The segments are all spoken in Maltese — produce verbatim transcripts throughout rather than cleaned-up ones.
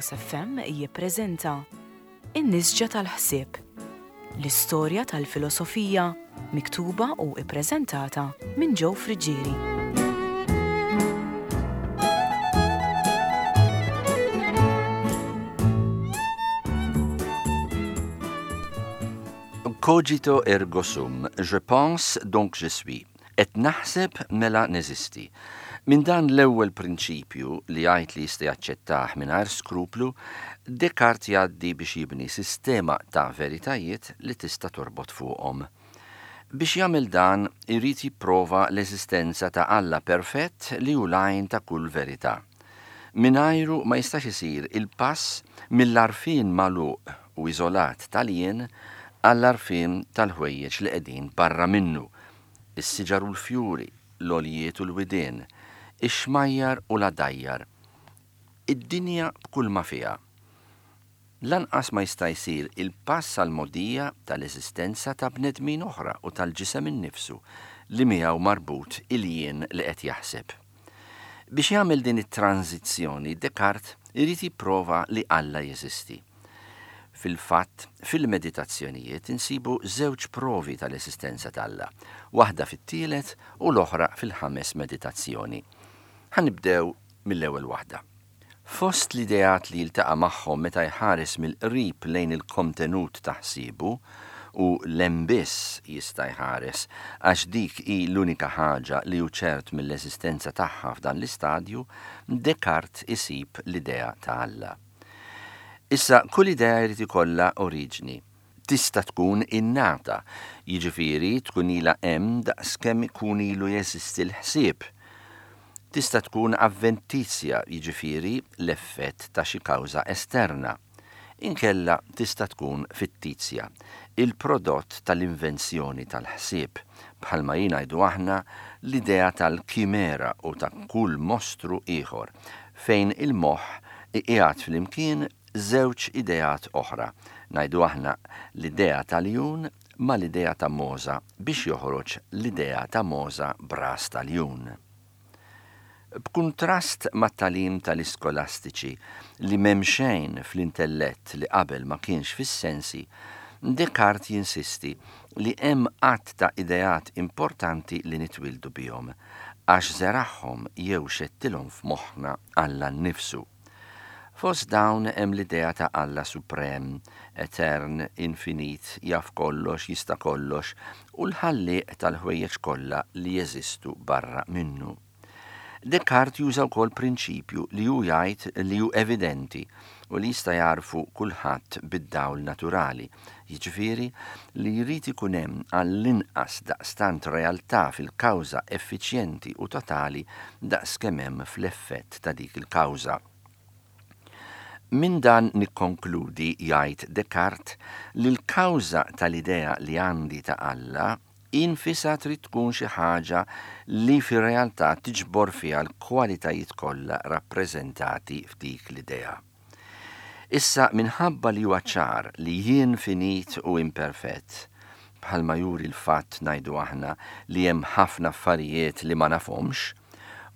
Veritas F M jippreżenta In-Nisġa tal-Ħsieb, l-istorja tal-filosofija miktuba u ippreżentata minn Joe Friggieri. Cogito ergo sum, je pense, donc je suis. Qed naħseb, mela neżisti. Minn dan l-ewwel prinċipju, li jgħid li jista' jaċċettah mingħajr skruplu, Descartes jgħaddi biex jibni sistema ta' veritajiet li tista' torbot fuqhom. Biex jagħmel dan, irid jipprova l-eżistenza ta' Alla perfett li hu l-għajn ta' kull verità. Mingħajru ma jistax isir il-pass mill-għarfien magħluq u iżolat tal-jien għall-għarfien tal-ħwejjeġ li qegħdin barra minnu, is-siġar u l-fjuri, l-għoljiet u l-widien, ix-xmajjar u l-għadajjar, id-dinja b'kull ma fiha. Lanqas ma jista' jsir il-pass għal mogħdija tal-eżistenza ta' bnedmin oħra u tal-ġisem innifsu li miegħu marbut il-jien li qed jaħseb. Biex jagħmel din it-tranzizzjoni, Descartes irid jipprova li Alla jeżisti. Fil-fatt, fil-meditazzjonijiet insibu żewġ provi tal-eżistenza t'Alla, waħda fit-tielet u l-oħra fil-ħames meditazzjoni. Ħa nibdew mill-ewwel waħda. Fost l-ideat li jiltaqa' magħhom meta jħares mill-qrib lejn il-kontenut ta' ħsiebu, u 'l hemm biss jista' jħares għax dik hi l-unika ħaġa li hu ċert mill-eżistenza tagħha f'dan l-istadju, Descartes isib l-idea ta' Alla. Issa, kull idea jrid ikollha oriġni. Tista' tkun innata, jiġifieri tkun ilha hemm daqskemm ikun ilu jeżisti l-ħsieb. Tista' tkun avventizja, jiġifieri l-effett ta' xi kawża esterna. Inkella tista' tkun fittizja, il-prodott tal-invenzjoni tal-ħsieb, bħalma ngħidu aħna l-idea tal-kimera u ta' kull mostru ieħor, fejn il-moħħ iqiegħed flimkien żewġ ideat oħra, ngħidu aħna l-idea tal-iljun ma l-idea ta' mogħża biex joħroġ l-idea ta' mogħża b'ras tal-iljun. B'kuntrast mat-tagħlim tal-iskolastiċi li m'hemm xejn fl-intellett li qabel ma kienx fis-sensi, Descartes jinsisti li hemm għadd ta' ideat importanti li nitwildu bihom, għax żeragħhom jew xettilhom f'moħħna Alla nnifsu. Fost dawn hemm l-idea ta' Alla suprem, etern, infinit, jaf kollox, jista' kollox, u l-ħallieq tal-ħwejjeġ kollha li jeżistu barra minnu. Descartes juża wkoll prinċipju li hu jgħid li hu evidenti u li jista' jagħrfu kulħadd bid-dawl naturali, jiġifieri li jrid ikun hemm għall-inqas daqstant realtà fil-kawża effiċjenti u totali daqskemm hemm fl-effett ta' dik il-kawża. Minn dan nikkonkludi, jgħid Descartes, li l-kawża tal-idea li għandi ta' Alla infisha trid tkun xi ħaġa li fir-realtà tiġbor fiha l-kwalitajiet kollha rappreżentati f'dik l-idea. Issa, minħabba li huwa ċar li jien finit u imperfett, bħalma juri l-fatt, ngħidu aħna, li hemm ħafna affarijiet li ma nafhomx,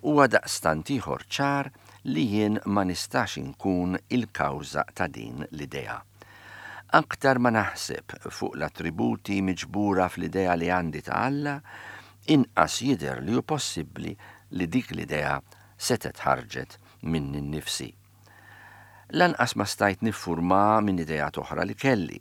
huwa daqstant ieħor ċar li jien ma nistax inkun il-kawża ta' din l-idea. Aktar ma naħseb fuq l-attributi miġbura fl-idea li għandi ta' Alla, inqas jidher li hu possibbli li dik l-idea setgħet ħarġet minni nnifsi. Lanqas ma stajt niffurma minn ideat oħra li kelli,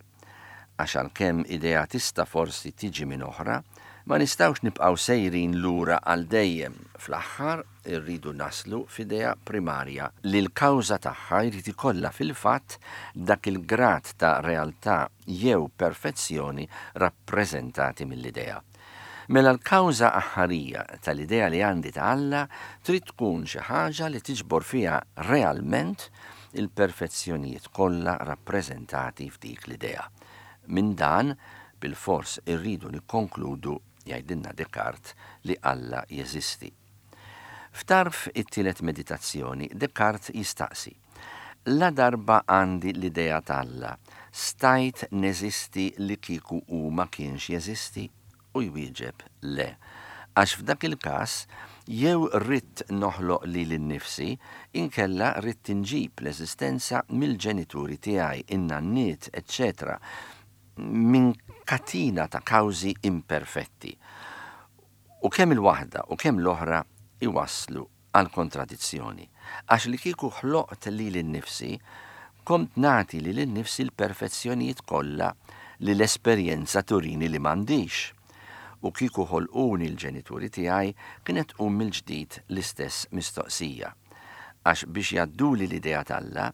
għax għalkemm idea tista' forsi tiġi minn oħra, ma nistgħux nibqgħu sejrin lura għal dejjem. Fl-aħħar irridu naslu f'idea primarja li l-kawża tagħha jrid ikollha fil-fatt dak il-grad ta' realtà jew perfezzjoni rappreżentati mill-idea. Mela l-kawża aħħarija tal-idea li għandi ta' Alla trid tkun xi ħaġa li tiġbor fiha realment il-perfezzjonijiet kollha rappreżentati f'dik l-idea. Minn dan, bil-fors irridu nikkonkludu, jgħidilna Descartes, li Alla jeżisti. F'tarf it-tielet meditazzjoni, Descartes jistaqsi: la darba għandi l-idea t'Alla, stajt neżisti li kieku hu ma kienx jeżisti? U jwieġeb le, Għax f'dak il-każ jew ridt noħloq lili nnifsi, inkella ridt inġib l-eżistenza mill-ġenituri tiegħi, in-nanniet, eċċetera, minn katina ta' kawżi imperfetti. U kemm il-waħda u kemm l-oħra iwasslu għal kontradizzjoni. Għax li kieku ħloqt lili nnifsi, kont nagħti lili nnifsi l-perfezzjonijiet kollha li l-esperjenza turini li m'għandix. U kieku ħolquni l-ġenituri tiegħi kienet tqum mill-ġdid l-istess mistoqsija. Għax biex jgħadduli l-idea t'Alla,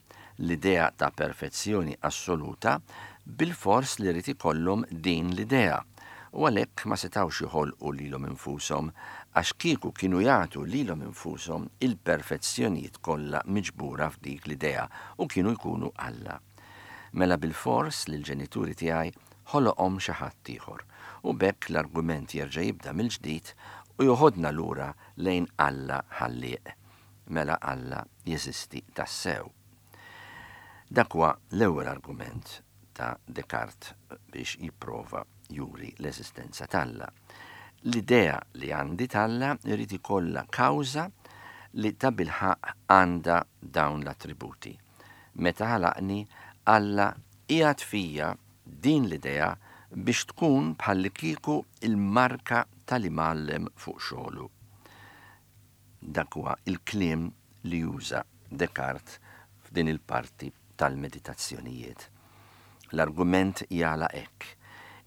l-idea ta' perfezzjoni assoluta, bilfors li rrid ikollhom din l-idea. U għalhekk ma setgħux joħolqu lilhom infushom, għax kieku kienu jagħtu lilhom infushom il-perfezzjonijiet kollha miġbura f'dik l-idea u kienu jkunu Alla. Mela bilfors li l-ġenituri tiegħi ħoloqhom xi ħadd ieħor. U b'hekk l-argument jerġa' jibda mill-ġdid u joħodna lura lejn Alla ħallieq. Mela Alla jeżisti tassew. Dak huwa l-ewwel argument ta' Descartes biex jipprova juri l-eżistenza t'Alla. L-idea li għandi t'Alla jrid ikollha kawża li tabilħaqq għandha dawn l-attributi. Meta ħalaqni, Alla qiegħed fija din l-idea biex tkun bħallikieku il-marka tal-imgħallem fuq xogħlu. Dak huwa il-kliem li juża Descartes f'din il-parti tal-meditazzjonijiet. L-argument jagħlaq hekk.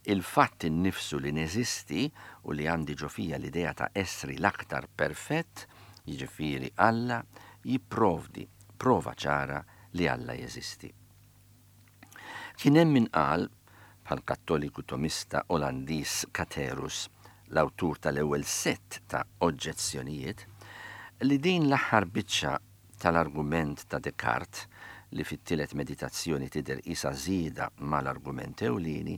Il-fatt innifsu li neżisti u li għandi ġo fija l-idea ta' essri l-aktar perfett, jiġifieri Alla, jipprovdi prova ċara li Alla jeżisti. Kien hemm min qal, bħal kattoliku tomista Olandiż Caterus, l-awtur tal-ewwel sett ta' oġġezzjonijiet, li din l-aħħar biċċa tal-argument ta' Descartes, li fit-tielet meditazzjoni tidher isa żieda mal-argument ewlieni,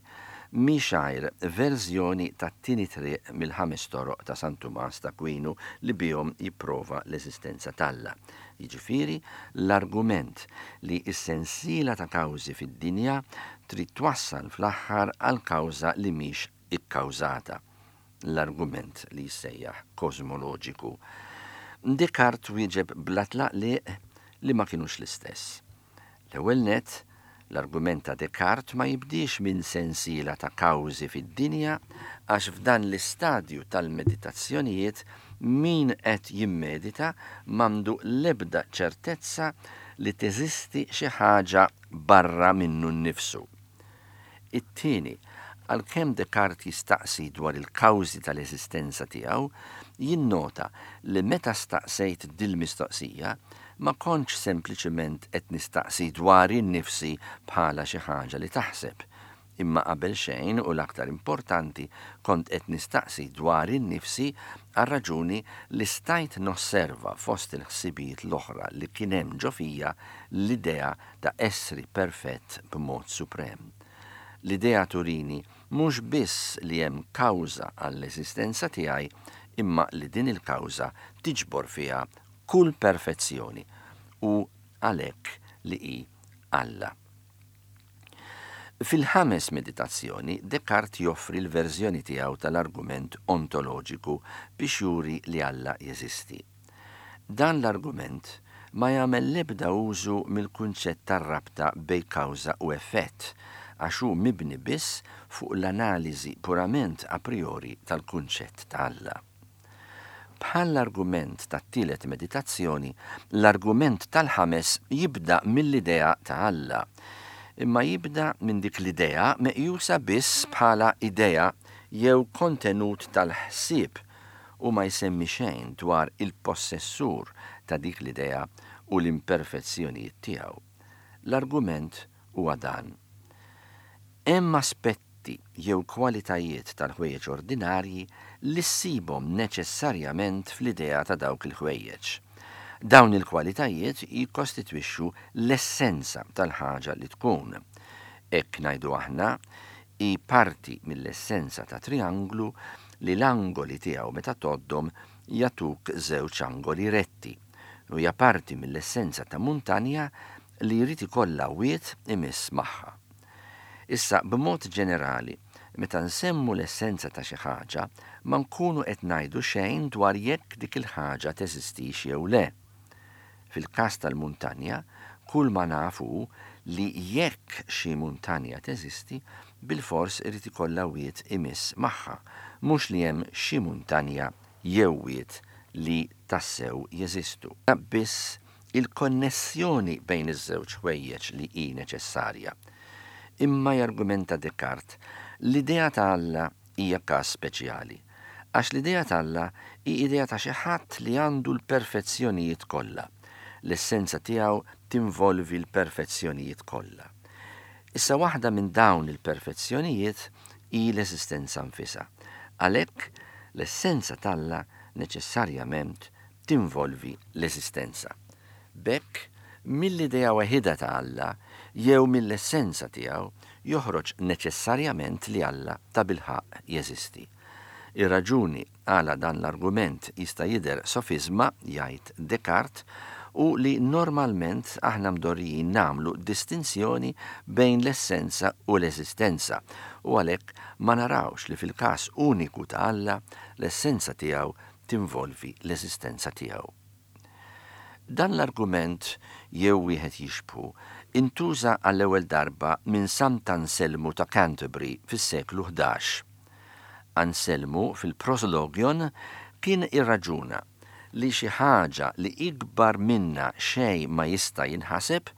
mhix għajr verżjoni tat-tieni triq mill-ħames toroq ta' San Tumas ta' Aquinu li bihom jipprova l-eżistenza t'Alla. Jiġifieri l-argument li s-sensiela ta' kawżi fid-dinja trid twassal fl-aħħar għal kawża li mhix ikkawżata. L-argument li jissejjaħ kosmoloġiku. Descartes wieġeb bla tlaqliq li ma kinux l-istess. L-ewwel nett, l-argument ta' Descartes ma jibdiex minn sensiela ta' kawżi fid-dinja għax f'dan l-istadju tal-meditazzjonijiet min qed jimmedita m'għandu l-ebda ċertezza li teżisti xi ħaġa barra minnu nnifsu. It-tieni, għalkemm Descartes jistaqsi dwar il-kawżi tal-eżistenza tiegħu, jinnota li meta staqsejt dil-mistoqsija ma kontx sempliċement qed nistaqsi dwar innifsi bħala xi ħaġa li taħseb, imma qabel xejn u l-aktar importanti kont qed nistaqsi dwar innifsi għal raġuni li stajt nosserva fost il-ħsibijiet l-oħra li kien hemm ġo fija l-idea ta' essri perfett b'mod suprem. L-idea turini mhux biss li hemm kawża għall-eżistenza tiegħi, imma li din il-kawża tiġbor fiha kull perfezzjoni u għalhekk li hi Alla. Fil-ħames meditazzjoni, Descartes joffri l-verżjoni tiegħu tal-argument ontoloġiku biex juri li Alla jeżisti. Dan l-argument ma jagħmel l-ebda użu mill-kunċett tar-rabta bejn kawża u effett, għax hu mibni biss fuq l-analiżi purament a priori tal-kunċett ta' Alla. Bħal l-argument tat-tielet meditazzjoni, l-argument tal-ħames jibda mill-idea ta' Alla, imma jibda minn dik l-idea meqjusa biss bħala idea jew kontenut tal-ħsieb u ma jsemmi xejn dwar il-possessur ta' dik l-idea u l-imperfezzjonijiet tiegħu. L-argument huwa dan. Hemm aspetti jew kwalitajiet tal-ħwejjeġ ordinarji li ssibhom neċessarjament fl-idea ta' dawk il-ħwejjeġ. Dawn il-kwalitajiet jikkostitwixxu l-essenza tal-ħaġa li tkun. Hekk ngħidu aħna, hi parti mill-essenza ta' trianglu li l-angoli tiegħu meta tgħoddhom jagħtuk żewġ angoli retti, u hija parti mill-essenza ta' muntanja li jrid ikollha wied imiss magħha. Issa, b'mod ġenerali, Meta nsemmu l-essenza ta' xi ħaġa, ma nkunu qed ngħidu xejn dwar jekk dik il-ħaġa teżistix jew le. Fil-każ tal-muntanja, kull ma nafu li jekk xi muntanja teżisti, bilfors irid ikollha wied imiss magħha, mhux li hemm xi muntanja jew wied li tassew jeżistu. Biss il-konnessjoni bejn iż-żewġ ħwejjeġ li hi neċessarja. Imma, jargumenta Descartes, l-idea ta' Alla hija każ speċjali. Għax l-idea ta' Alla hi idea ta' xi ħadd li għandu l-perfezzjonijiet kollha. L-essenza tiegħu tinvolvi l-perfezzjonijiet kollha. Issa, waħda minn dawn il-perfezzjonijiet hi l-eżistenza nfisha. Għalhekk l-essenza t'Alla neċessarjament tinvolvi l-eżistenza. B'hekk, mill-idea waħida ta' Alla jew mill-essenza tiegħu joħroġ neċessarjament li Alla ta' bilħaqq jeżisti. Ir-raġuni għala dan l-argument jista' jidher sofisma, jgħid Descartes, hu li normalment aħna mdorrijin nagħmlu distinzjoni bejn l-essenza u l-eżistenza u għalhekk ma narawx li fil-każ uniku ta' Alla l-essenza tiegħu tinvolvi l-eżistenza tiegħu. Dan l-argument jew wieħed jixbhu intuża għall-ewwel darba minn Sant'Anselmu ta' Canterbury fis-seklu ħdax. Anselmu fil-Proslogion kien irraġuna li xi ħaġa li ikbar minna xejn ma jista' jinħaseb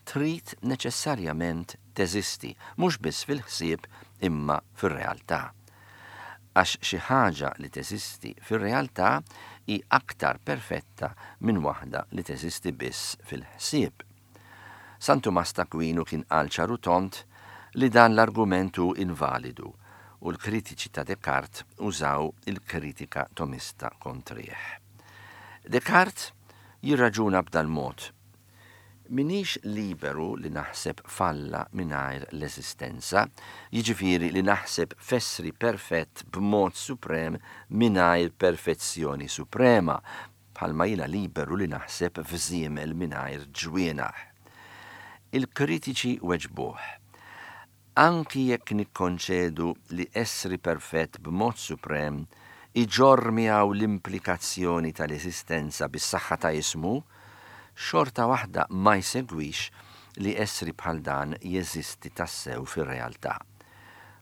trid neċessarjament teżisti, mhux biss fil-ħsieb imma fir-realtà. Għax xi ħaġa li teżisti fir-realtà hi aktar perfetta minn waħda li teżisti biss fil-ħsieb. San Tumas t'Akwinu kien qal ċar u tond li dan l-argument hu invalidu u l-kritiċi ta' Descartes użaw il-kritika tomista kontrih. Descartes jirraġuna b'dal mod: Minix liberu li naħseb f'Alla mingħajr l-eżistenza, jiġifieri li naħseb f'essri perfett b'mod suprem mingħajr perfezzjoni suprema, bħalma jiena liberu li naħseb f'żiemel mingħajr ġwienaħ. Il-kritiċi weġbuh: Anki jekk nikkonċedu li essri perfett b'mod suprem iġorr miegħu l-implikazzjoni tal-eżistenza bis-saħħa ta' ismu, xorta waħda ma jsegwix li essri bħal dan jeżisti tassew fir-realtà.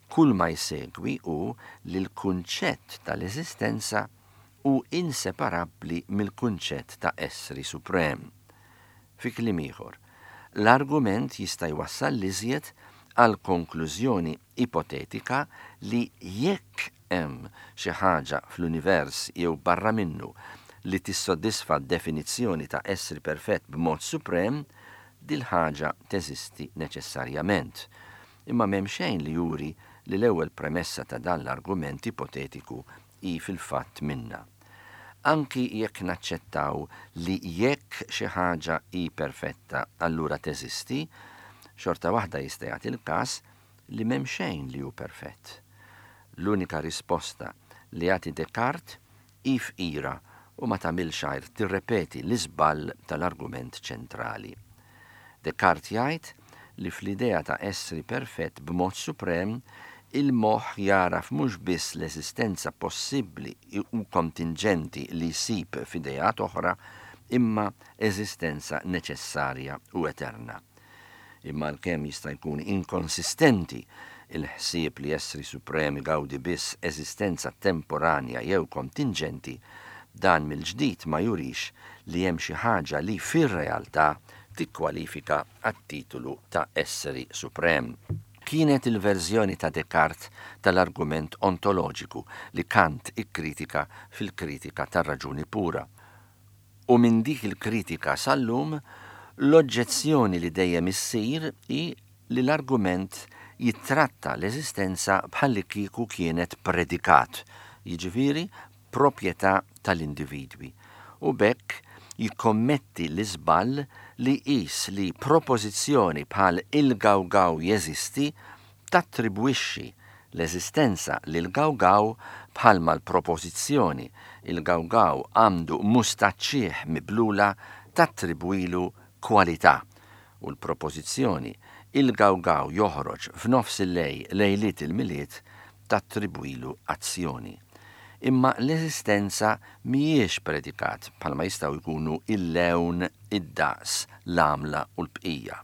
Kull ma jsegwi hu li l-kunċett tal-eżistenza hu inseparabbli mill-kunċett ta' essri suprem. Fi kliem ieħor, l-argument jista' jwassal l-iżjed għal konklużjoni ipotetika li jekk hemm xi ħaġa fl-univers jew barra minnu li tissodisfa definizzjoni ta' essri perfett b'mod suprem, dil-ħaġa teżisti neċessarjament. Imma m'hemm xejn li juri li l-ewwel premessa ta' dan l-argument ipotetiku hi fil-fatt minna. Anki jekk naċċettaw li jekk xi ħaġa hi perfetta allura teżisti, xorta waħda jista' jagħti l-każ li m'hemm xejn li hu perfett. L-unika risposta li jagħti Descartes hi fqira u ma tagħmilx għajr tirrepeti l-iżball tal-argument ċentrali. Descartes jgħid li fl-idea ta' essri perfett b'mod suprem il-moħħ jaraf mhux biss l-eżistenza possibbli u kontingenti li jsib f'ideat oħra, imma eżistenza neċessarja u eterna. Imma l-kemm jista' jkun inkonsistenti il-ħsieb li essri suprem igawdi biss eżistenza temporanja jew kontingenti, dan mill-ġdid ma jurix li hemm xi ħaġa li fir-realtà tikkwalifika għat-titolu ta' esseri suprem. Kienet il-verżjoni ta' Descartes tal-argument ontoloġiku li Kant ikkritika fil-kritika tar-raġuni pura. U minn dik il-kritika sal-lum, l-oġġezzjoni li dejjem issir hi li l-argument jittratta l-eżistenza bħalli kieku kienet predikat, jiġifieri proprjetà tal-individwi, u b'hekk jikkommetti l-iżball li jqis li propożizzjoni bħal "il-gawgaw jeżisti" tattribwixxi l-eżistenza lil gawgaw bħalma l-propożizzjoni "il-gawgaw għandu mustaċċieħ miblula" tattribwilu kwalità u l-propożizzjoni "il-gawgaw joħroġ f'nofs il-lejl lejliet il-Milied" tattribwilu azzjoni. Imma l-eżistenza mhijiex predikat bħalma jistgħu jkunu il-lewn, id-daqs, l-għamla u l-bqija.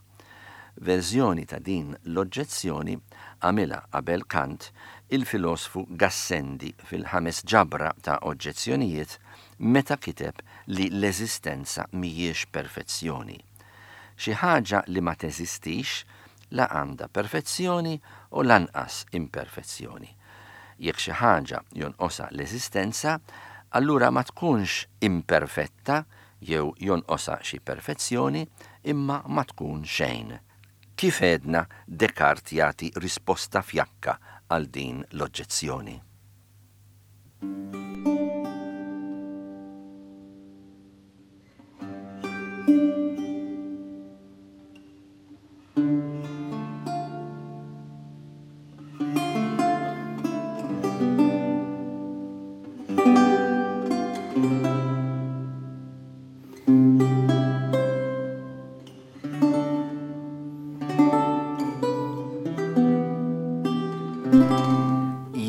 Verżjoni ta' din l-oġġezzjoni għamilha qabel Kant il-filosfu Gassendi fil-ħames ġabra ta' oġġezzjonijiet meta kiteb li l-eżistenza mhijiex perfezzjoni. Xi ħaġa li ma teżistix la għandha perfezzjoni u lanqas imperfezzjoni. Jekk xi ħaġa jonqosha l-eżistenza, allura ma tkunx imperfetta jew jonqosha xi perfezzjoni, imma ma tkun xejn. Kif għedna, Descartes jagħti risposta fjakka għal din l-oġġezzjoni.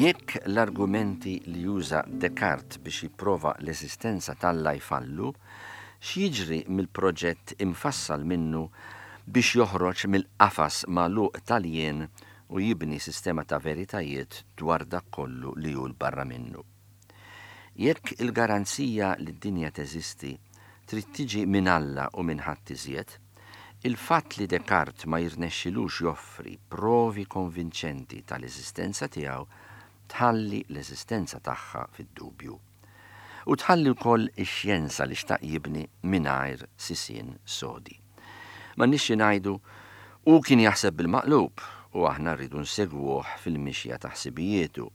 Jekk l-argumenti li juża Descartes biex jipprova l-eżistenza t'Alla jfallu, x'jiġri mill-proġett imfassal minnu biex joħroġ mill-qafas magħluq tal-jien u jibni sistema ta' veritajiet dwar dak kollu li hu l barra minnu? Jekk il-garanzija li d-dinja teżisti trid tiġi minn Alla u minn ħadd iżjed, il-fatt li Descartes ma jirnexxilux joffri provi konvinċenti tal-eżistenza tiegħu tħalli l-eżistenza tagħha fid-dubju. U tħalli wkoll ix-xjenza li xtaq jibni mingħajr sisien sodi. Ma nixxi ngħidu u kien jaħseb bil-maqlub u aħna rridu nsegwuh fil-mixja ta' ħsibijietu,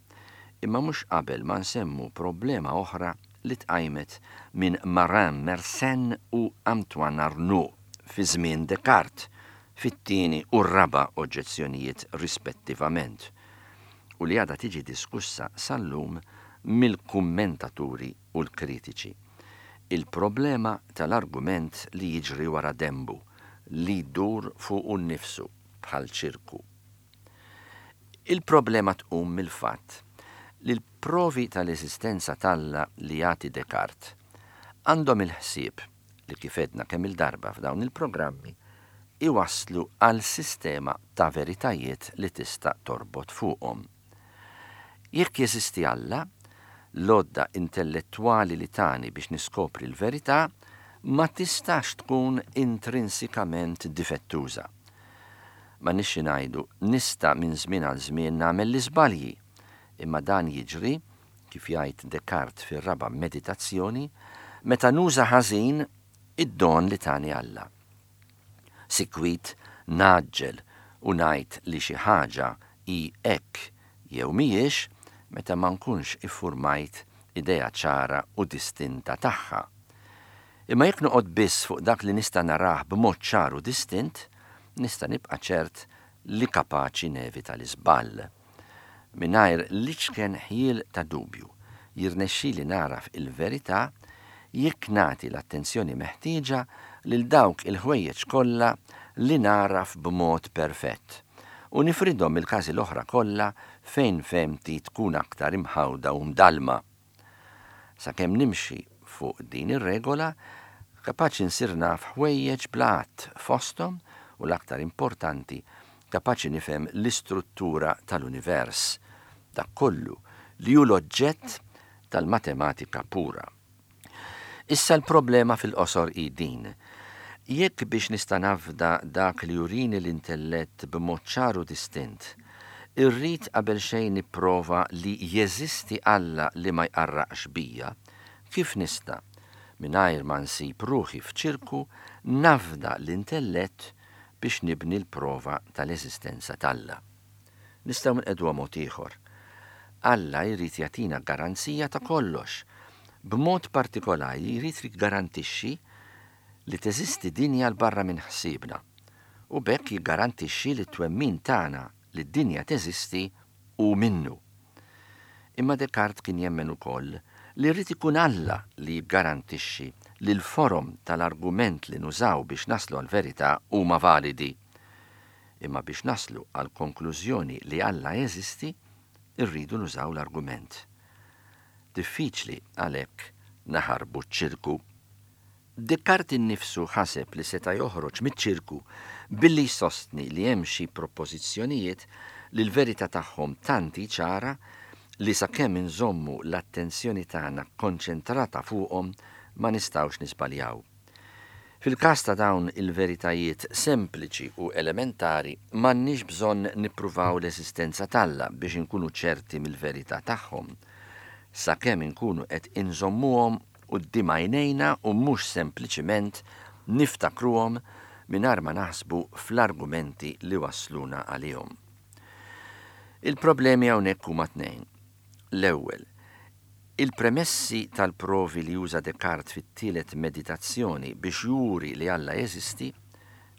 imma mhux qabel ma nsemmu problema oħra li tqajmet minn Marin Mersenne u Antoine Arnauld fi żmien Descartes fit-tieni u r-raba' oġġezzjonijiet rispettivament, u li għadha tiġi diskussa sal-lum mill-kummentaturi u l-kritiċi. Il-problema tal-argument li jiġri wara dembu, li jdur fuq nnifsu bħal ċirku. Il-problema tqum mill-fatt li l-provi tal-eżistenza t'Alla li jagħti Descartes għandhom il-ħsieb li kif għedna kemm il-darba f'dawn il-programmi iwasslu għal sistema ta' veritajiet li tista' torbot fuqhom. Jekk jeżisti Alla, l-għodda intellettwali li tani biex niskopri l-verità ma tistax tkun intrinsikament difettuża. Ma nixxi ngħidu nista' minn żmien għal żmien nagħmel l-iżbalji, imma dan jiġri, kif jgħid Descartes fir-raba' meditazzjoni, meta nuża ħażin id-don li tani Alla. Sikwit naġġel u ngħid li xi ħaġa hi hekk jew mhijiex meta ma nkunx iffurmajt idea ċara u distinta tagħha. Imma jekk noqgħod biss fuq dak li nista' narah b'mod ċar u distint, nista' nibqa' ċert li kapaċi nevita l-iżball. Mingħajr l-iċken ħjiel ta' dubju jirnexxili naraf il-verità jekk nagħti l-attenzjoni meħtieġa lil dawk il-ħwejjeġ kollha li naraf b'mod perfett u nifridhom il-każi l-oħra kollha fejn fehmti tkun aktar imħawda u mdalma. Sakemm nimxi fuq din ir-regola, kapaċi nsir naf ħwejjeġ bla għadd fosthom u l-aktar importanti, kapaċi nifhem l-istruttura tal-univers, dak kollu li hu l-oġġett tal-matematika pura. Issa l-problema fil-qosor hi din. Jekk biex nista' nafda dak li jurini l-intellett b'mod ċar u distint, irrid qabel xejn nipprova li jeżisti Alla li ma jqarraqx bija, kif nista', mingħajr ma nsib ruħi f'ċirku, nafda l-intellett biex nibni l-prova tal-eżistenza t'Alla? Nistgħu nqegħduha mod ieħor. Alla jrid jagħtina garanzija ta' kollox. B'mod partikolari jrid jiggarantixxi li teżisti dinja l barra minn ħsiebna u b'hekk jiggarantixxi li t-twemmin tagħna li d-dinja teżisti u minnu. Imma Descartes kien jemmen ukoll li rrid ikun Alla li jiggarantixxi li l-forom tal-argument li nużaw biex naslu għal-verità huma validi. Imma biex naslu għal konklużjoni li Alla jeżisti, Irridu nużaw l-argument. Diffiċli għalhekk naħarbu ċ-ċirku. Descartes innifsu ħaseb li seta' joħroġ miċ-ċirku billi jsostni li hemm xi propożizzjonijiet li l-verità tagħhom tant hi ċara li sakemm inżommu l-attenzjoni tagħna konċentrata fuqhom ma nistgħux niżbaljaw. Fil-każ ta' dawn il-veritajiet sempliċi u elementari m'għandniex bżonn nippruvaw l-eżistenza t'Alla biex inkunu ċerti mill-verità tagħhom. Sakemm inkunu qed inżommuhom quddiem għajnejna u mhux sempliċiment niftakruhom mingħajr ma naħsbu fl-argumenti li wasluna għalihom. Il-problemi hawnhekk huma tnejn. L-ewwel, il-premessi tal-provi li juża Descartes fit-tielet meditazzjoni biex juri li Alla jeżisti,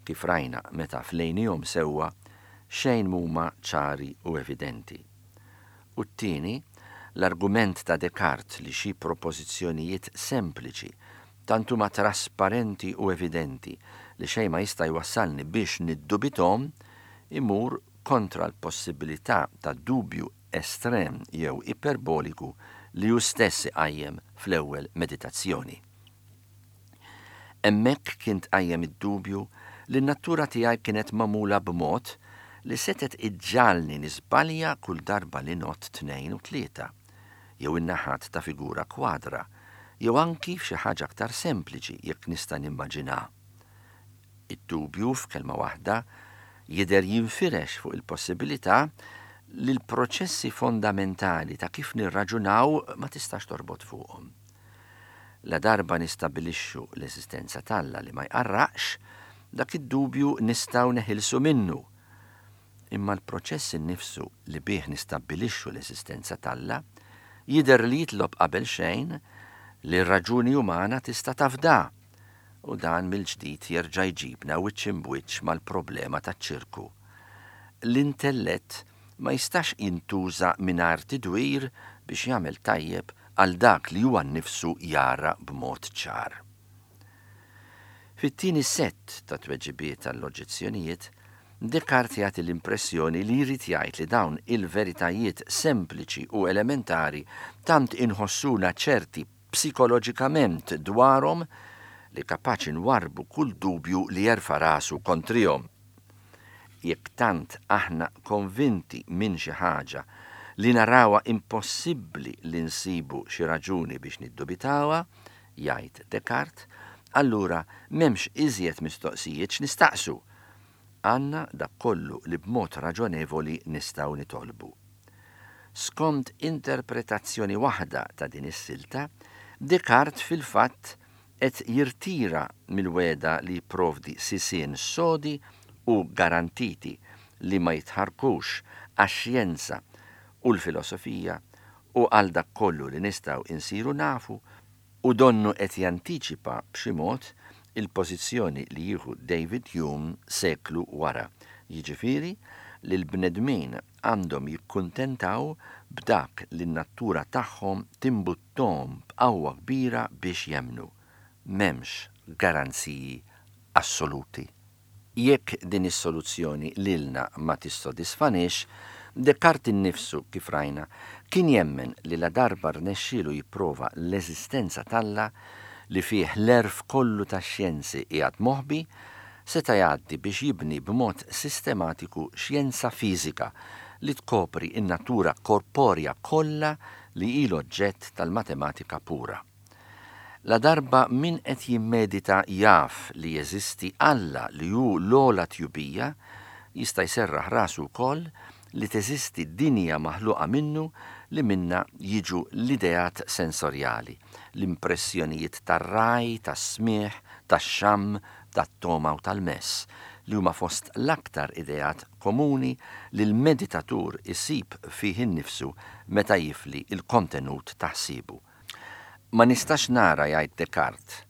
kif rajna meta flejnihom sewwa, xejn mhuma ċari u evidenti. U t-tieni, l-argument ta' Descartes li xi propożizzjonijiet sempliċi tant huma trasparenti u evidenti li xejn ma jista' jwassalni biex niddubithom imur kontra l-possibilità ta' dubju estrem jew iperboliku li hu stess iqajjem fl-ewwel meditazzjoni. Hemmhekk kien tqajjem id-dubju li n-natura tiegħi kienet magħmula b'mod li setgħet iġġagħalni niżbalja kull darba li ngħodd tnejn u tlieta, jew in-naħat ta' figura kwadra, jew anki f'xi ħaġa aktar sempliċi jekk nista' nimmaġinha. Id-dubju f'kelma waħda jidher jinfirex fuq il-possibilità li l-proċessi fondamentali ta' kif nirraġunaw ma tistax torbot fuqhom. La darba nistabilixxu l-eżistenza t'Alla li ma jqarraqx, dak id-dubju nistgħu neħilsu minnu. Imma l-proċess innifsu li bih nistabbilixxu l-eżistenza t'Alla jidher li jitlob qabel xejn li r-raġuni umana tista' tafda, u dan mill-ġdid jerġa' jġibna wiċċ imbwiċċ mal-problema taċ-ċirku. L-intellett ma jistax jintuża mingħajr tidwir biex jagħmel tajjeb għal dak li huwa nnifsu jara b'mod ċar. Fit-tieni sett ta' tweġibiet għall-oġġezzjonijiet, Descartes jagħti l-impressjoni li jrid jgħid li dawn il-veritajiet sempliċi u elementari tant inħossuna ċerti psikoloġikament dwarhom li kapaċi nwarbu kull dubju li jerfa' rasu kontrihom. Jekk tant aħna konvinti minn xi ħaġa li narawha impossibbli li nsibu xi raġuni biex niddubitawha, jgħid Descartes, allura m'hemmx iżjed mistoqsijiet x'nistaqsu. Għandna dak kollu li b'mod raġonevoli nistgħu nitolbu. Skont interpretazzjoni waħda ta' din is-silta, Descartes fil-fatt qed jirtira mill-wegħda li jipprovdi sisien sodi u garantiti li ma jitħarkux għax-xjenza u l-filosofija u għal dak kollu li nistgħu insiru nafu, u donnu qed jantiċipa b'xi mod il-pożizzjoni li jieħu David Hume seklu wara, jiġifieri li l-bnedmin għandhom jikkuntentaw b'dak li n-natura tagħhom timbuttom b'qawwa kbira biex jemmnu. M'hemmx garanziji assoluti. Jekk din is-soluzzjoni lilna ma tissodisfaniex, Descartes innifsu, kif rajna, kien jemmen li la darba rnexxielu jipprova l-eżistenza t'Alla li fih l-għerf kollu tax-xjenzi qiegħed moħbi, seta' jgħaddi biex jibni b'mod sistematiku xjenza fiżika li tkopri n-natura korporja kollha li hi l-oġġett tal-matematika pura. La darba min qed jimmedita jaf li jeżisti Alla li hu l-ogħla tjubija, jista' jserraħ rasu wkoll li teżisti dinja maħluqa minnu li minna jiġu l-ideat sensorjali, l-impressjonijiet tar-raj, tas-smigħ, tax-xamm, tat-toma u tal-mess, li huma fost l-aktar ideat komuni li l-meditatur isib fih innifsu meta jifli il-kontenut ta' ħsiebu. Ma nistax nara, jgħid Descartes,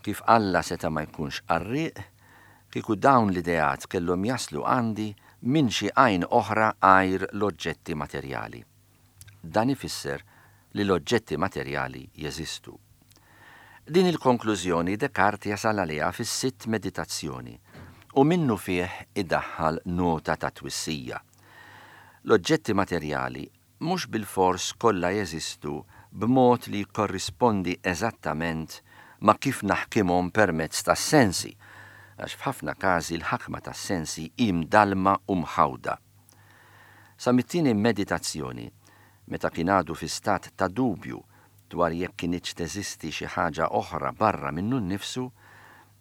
kif Alla seta' ma jkunx qarrieq kieku dawn l-ideat kellhom jaslu għandi minn xi għajn oħra għajr l-oġġetti materjali. Dan ifisser li l-oġġetti materjali jeżistu. Din il-konklużjoni Descartes jasal għaliha fis-sitt meditazzjoni u minnu fih idaħħal nota ta' twissija. L-oġġetti materjali mhux bilfors kollha jeżistu b'mod li jikkorrispondi eżattament ma' kif naħkimhom permezz tas-sensi, għax f'ħafna każi l-ħakma tas-sensi hi mdallma u mħawda. Sa mit-tieni meditazzjoni, meta kien għadu fi stat ta' dubju dwar jekk kinitx teżisti xi ħaġa oħra barra minnu nnifsu,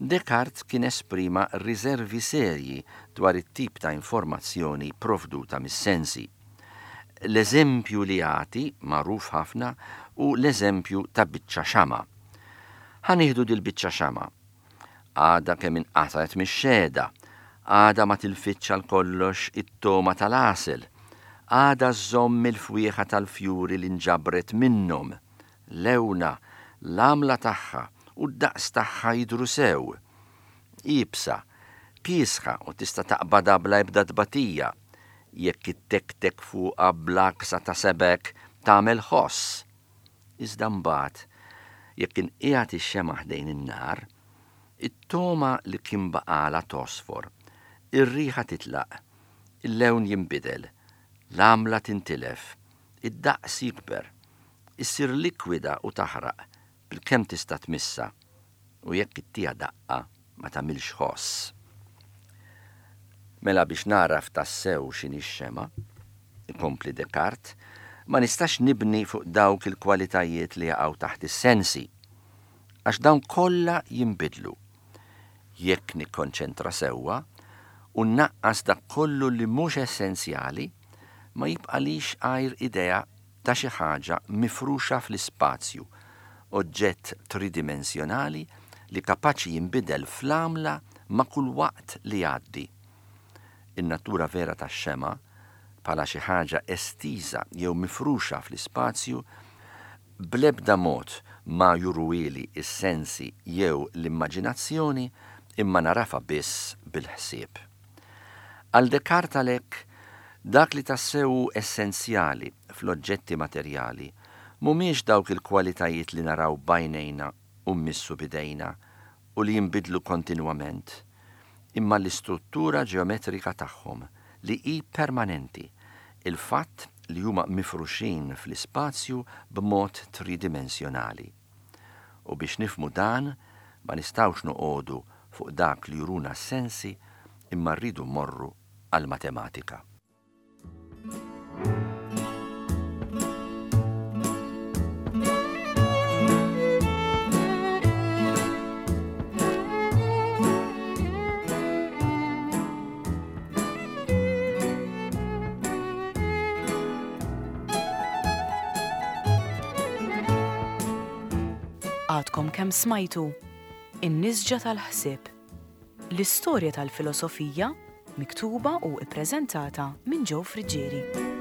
Descartes kien esprima riservi serji dwar it-tip ta' informazzjoni provduta mis-sensi. L-eżempju li jagħti, magħruf ħafna, hu l-eżempju ta' biċċa xama'. Ħa nieħdu dil-biċċa xama'. Għadha kemm inqatgħet mix-xehda, għadha ma tilfitx għal kollox it-togħma tal-għasel, għadha żżomm il-fwieħa tal-fjuri li nġabret minnhom, lewnha, l-għamla tagħha u d-daqs tagħha jidhru sew. Iebsa, kiesħa u tista' taqbadha bla ebda tbatija, jekk ittektek fuqha bl-għaksa ta' sebgħek tagħmel ħoss. Iżda mbagħad, jekk inqiegħed ix-xemgħa ħdejn in-nar, it-togħma li kien baqgħalha tosfor, ir-riħa titlaq, il-lewn jinbidel, l-għamla tintilef, id-daqs jikber, issir likwida u taħraq bilkemm tista' tmissha, u jekk ittiha daqqa ma tagħmilx ħoss. Mela biex nagħraf tassew x'inhi x-xemgħa, ikompli Descartes, ma nistax nibni fuq dawk il-kwalitajiet li jaqgħu taħt is-sensi, għax dawn kollha jinbidlu. Jekk nikkonċentra sewwa u nnaqqas dak kollu li mhux essenzjali, ma jibqalix għajr idea ta' xi ħaġa mifruxa fl-ispazju, oġġett tridimensjonali li kapaċi jinbidel fl-għamla ma' kull waqt li jgħaddi. In-natura vera tax-xemgħa, bħala xi ħaġa estiża jew mifruxa fl-ispazju, bl-ebda mod ma juruhieli s-sensi jew l-immaġinazzjoni, imma narafa biss bil-ħsieb. Għal Descartes għalhekk, dak li tassew hu essenzjali fl-oġġetti materjali mhumiex dawk il-kwalitajiet li naraw b'għajnejna u mmissu b'idejna u li jinbidlu kontinwament, imma l-istruttura ġeometrika tagħhom li hi permanenti, il-fatt li huma mifruxin fl-ispazju b'mod tridimensjonali. U biex nifhmu dan, ma nistgħux noqogħdu fuq dak li juruna s-sensi, imma rridu mmorru għall-matematika. Għadkom kemm smajtu In-Nisġa tal-Ħsieb, l-istorja tal-filosofija miktuba u ippreżentata minn Joe Friggieri.